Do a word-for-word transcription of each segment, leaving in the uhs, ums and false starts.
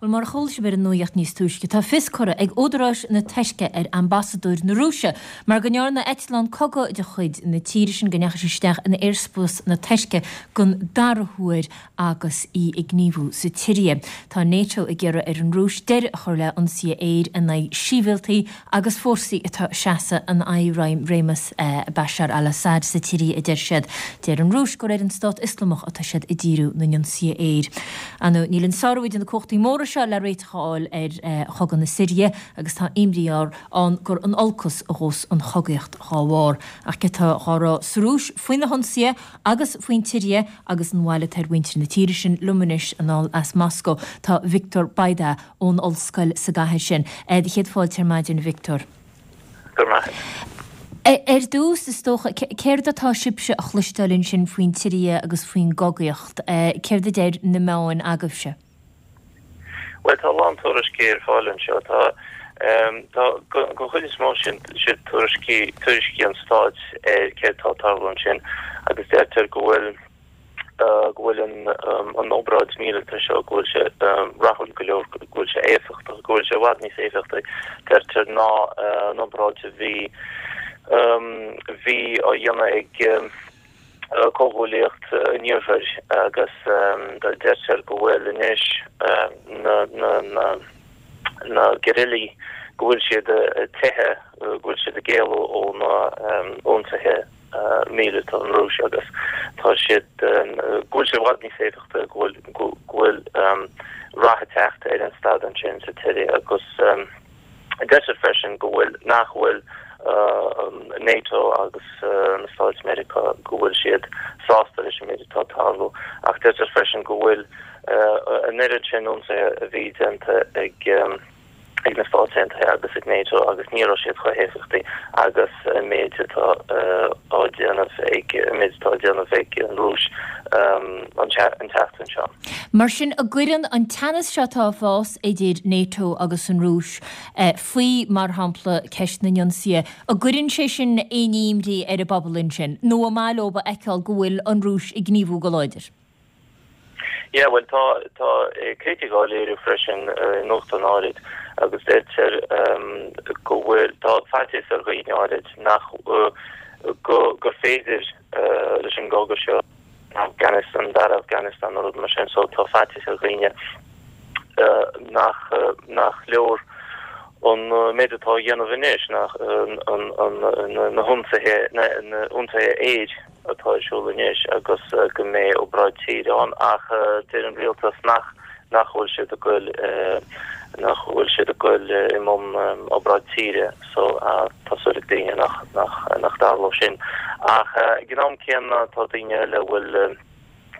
Bhuel, mar a chuala sibh ar an nuacht níos túisce, tá fios curtha ag údaráis na Tuirce ar ambasadóir na Rúise mar go ndearna eitleán cogaidh de chuid na tíre sin go ndeachaigh sé isteach in aerspás na Tuirce den dara huair agus í ag gníomhú sa tSiria. Tá NATO ag iarraidh ar an Rúis deireadh a chur le hionsaithe aeir in aghaidh sibhialtaigh agus fórsaí atá ag seasamh in aghaidh réimeas Bashar al-Assad sa tSiria, a deir siad. Deir an Rúis gur ar an Stát Ioslamach atá siad ag díriú na n-ionsaithe aeir. Ar ndóigh, níl an sárú idir na cumhachtaí móra seo le réiteach a fháil ar chogadh na Siria agus tá imní ann gur in olcas a ghabhfas an chogaíocht dá bharr. Ach céard atá á rá sa Rúis faoi na hionsaithe agus faoin tSiria agus an bhail atá ar mhuintir na tíre sin liom anois anall as Moscó tá Victor Bayda ón ollscoil sa gcathair sin. Do chéad fáilte ar maidin Victor. Go maith. Ar dtús is dócha céard atá sibhse a chloisteáil ansin faoin tSiria agus faoin gcogaíocht, céard a deir na meáin agaibhse? Well tá lán tuairiscí ar fáil anseo tá tá den chuid is mó sin siad tuairiscí tuairiscí an stáit ar céard atá ag tarlú ansin agus deirtear go bhfuil go bhfuil an an obráid míleata seo go bhfuil sé rathúil go leor go bhfuil sé éifeachtach go bhfuil sé i bhfad níos éifeachtaí deirtear ná an obráid a bhí bhí á dhéanamh ag comhghuaillíocht an Iarthair agus deirtear go bhfuil anois na na na na guerrillaí go bhfuil siad ag teitheadh go bhfuil siad ag éalú ó na ionsaithe míleata an Rúis agus tá siad go bhfuil sé i bhfad níos éifeachtaí go bhfuil go bhfuil rath ag teacht ar an staid ansin sa tSiria agus deirtear freisin go bhfuil nach bhfuil NATO agus na Stáit Meiriceá go bhfuil siad sásta leis an méid atá ag tarlú ach deirtear freisin go bhfuil an oiread sin ionsaithe a bhí déanta ag ag na Stáit Aontaithe agus ag NATO agus ní raibh siad chomh héifeachtaí agus an méid atá á déanamh ag an méid atá á déanamh ag an Rúis an tseachtain seo. Mar sin an gcuireann an teannas seo atá ag fás idir NATO agus an Rúis faoi mar shampla ceist na n-ionsaithe, an gcuireann sé sin aon imní ar an bpobal ansin, nó an maith leo a fheiceáil go bhfuil an Rúis ag gníomhú go láidir? Yeah, well tá tá critic á léiriú freisin i nuachtáin áirid agus deirtear go bhfuil tá faitíos ar dhaoine áirid nach go gur féidir leis an gcogadh seo Afghanistan dar Afghanistan nó rud mar sin so tá faitíos ar dhaoine nach nach leor an méid atá á dhéanamh anois nach an an na hionsaithe na ionsaithe aeir atá ar siúl anois agus go mbeidh obráid tíre ann ach deir an rialtas nach nach bhfuil siad ag goil nach bhfuil siad ag goil i mbun obráid tíre so tá súil ag daoine nach nach nach dtarlóidh sin ach ag an am céanna tá daoine eile a bhfuil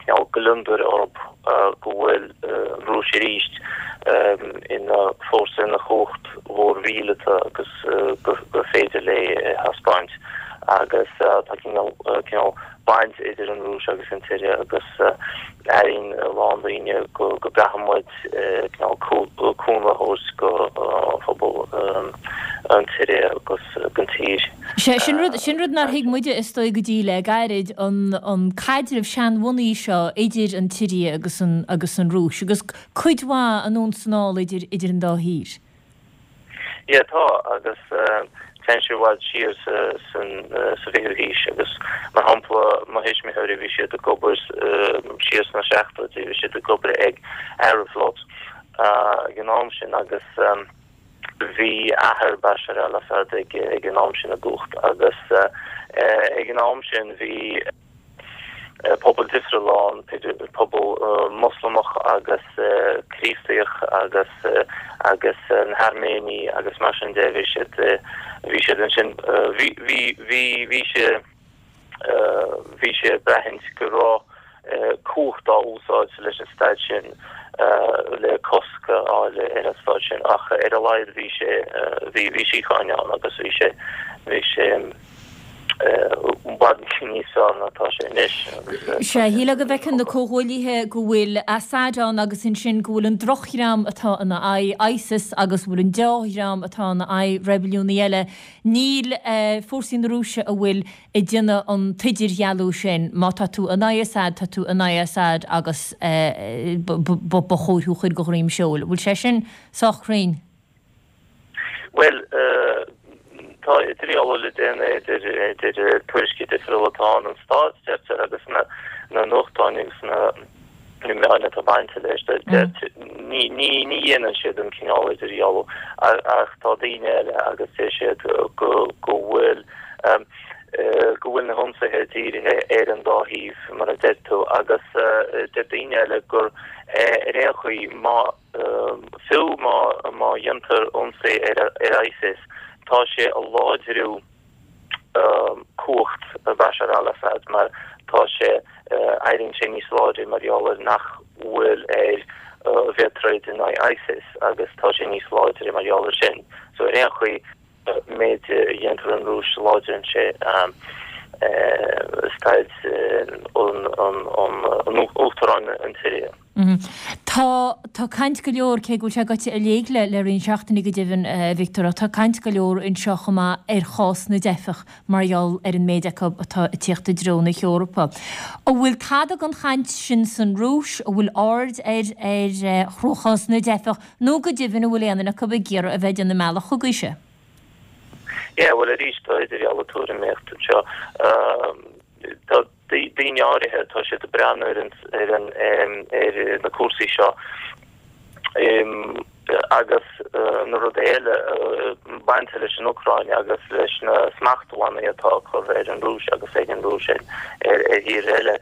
cineál gliondar orthu go bhfuil an Rúis arís ina fórsa ina chumhacht mhór mhíleata agus gur féidir léi a thaispeáint agus tá cineál cineál baint idir an Rúis agus an tSiria agus airíonn a lán daoine go go gcaithfidh muid cineál cúnamh a thabhairt go phobal an tSiria agus don tír. Sé sin rud sin rud nár thuig muide is dóigh go dtí le gairid an an caidreamh seanbhunaithe seo idir an tSiria agus an agus an Rúis agus cuid mhaith anonn is anall idir idir an dá thír. Yeah tá agus téann sé i bhfad siar sa san sa bhfichiú haois agus mar shampla mo thuismitheoirí bhí siad ag obair siar sna seachtóidí bhí siad ag obair ag Aeroflot ag an am sin agus bhí athair Bashar al-Assad ag ag an am sin i gcumhacht agus ag an am sin bhí pobal difriúil ann, pobal Moslamach agus Críostaíoch agus agus na hAirméinigh agus mar sin de bhí siad bhí siad ansin bhí bhí bhí bhí sé bhí sé ag braithint go raibh cumhacht á úsáid leis an staid sin le cosc a fháil ar an staid sin ach ar a laghad bhí sé bhí bhí síocháin ann agus bhí sé bhí sé i bhfad níos fearr ná atá sé anois. Sea, shílfeá go bhfeiceann na comhghuaillithe go bhfuil Assad ann agus ansin go bhfuil an drochdhream atá ina aghaidh, ISIS, agus go bhfuil an dea-dhream atá ina aghaidh, reibiliúnaithe eile. Níl fórsaí na Rúise a bhfuil ag déanamh an t-idirdhealú sin, má tá tú in aghaidh Assad, tá tú in aghaidh Assad agus ba chóir thú a chur de dhroim seoil. Bhfuil sé sin sách cruinn? Bhuel, tá idirdhealú le déanamh idir idir tuairiscí difriúla atá ann, an stát, deirtear, agus na na nuachtáin agus na na meáin atá bainte leis. Ní ní ní dhéanann siad an cineál idirdhealú ach tá daoine eile agus deir siad go go bhfuil go bhfuil na hionsaithe dírithe ar an dá thaobh, mar a deir tú, agus deir daoine eile gur ar aon chaoi má Fiú má má dhéantar ionsaí ar ar ISIS, tá sé a láidriú cumhacht Bashar al-Assad mar tá sé éiríonn sé níos láidre mar gheall ar nach bhfuil air a bheith ag troid in aghaidh ISIS agus tá sé níos láidre mar gheall ar sin. So ar aon chaoi méid a dhéantar an Rúis láidríonn sé staid an an an uachtaráin an tSiria. Tá tá caint go leor, cé go bhfuil sé gaibhte i léig le le roinnt seachtainí go deimhin, a Victor, ach tá caint go leor anseo chomh maith ar chás na dteifeach mar gheall ar an méid acu atá ag tíocht i dtreo na hEorpa. An bhfuil tada den chaint sin san Rúis? An bhfuil aird ar ar chruachás na dteifeach nó go deimhin an bhfuil aon duine acu ag iarraidh a bheith ag déanamh an mbealach chugaibhse? Yeah, bhuel arís tá idirdhealú tuairimíochta anseo. Tá daoine áirithe, tá siad ag breathnú ar an ar an ar na cúrsaí seo agus na rudaí eile bainte leis an Úcráin agus leis na smachtbhannaí atá curtha ar an Rúis agus ag an Rúis ar ar thíortha eile.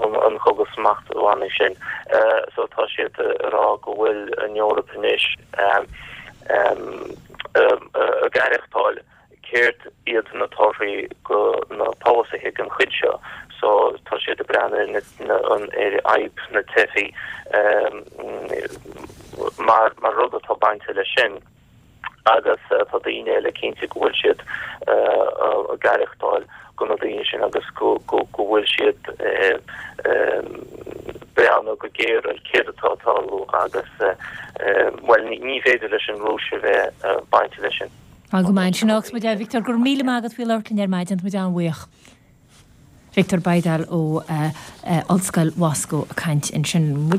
an cogadh smachtbhannaí sin. So tá siad ag rá go bhfuil an Eoraip anois ag aireachtáil céard iad na torthaí go na polasaithe den chuid seo. So tá siad ag breathnú ar ar fhadhb na teifigh mar mar rud atá bainte leis sin. Agus tá daoine eile cinnte go bhfuil siad ag aireachtáil go na daoine sin agus go bhfuil siad breathnú go géar ar céard atá ag tarlú agus bhuel ní féidir leis an Rúis a bheith bainte leis sin. Tá go maith ansin agus muid a Victor go raibh míle maith agat faoi labhairt linn ar maidin, tá muid an-bhuíoch. Victor Baydal ó Ollscoil Mhoscó ag caint ansin.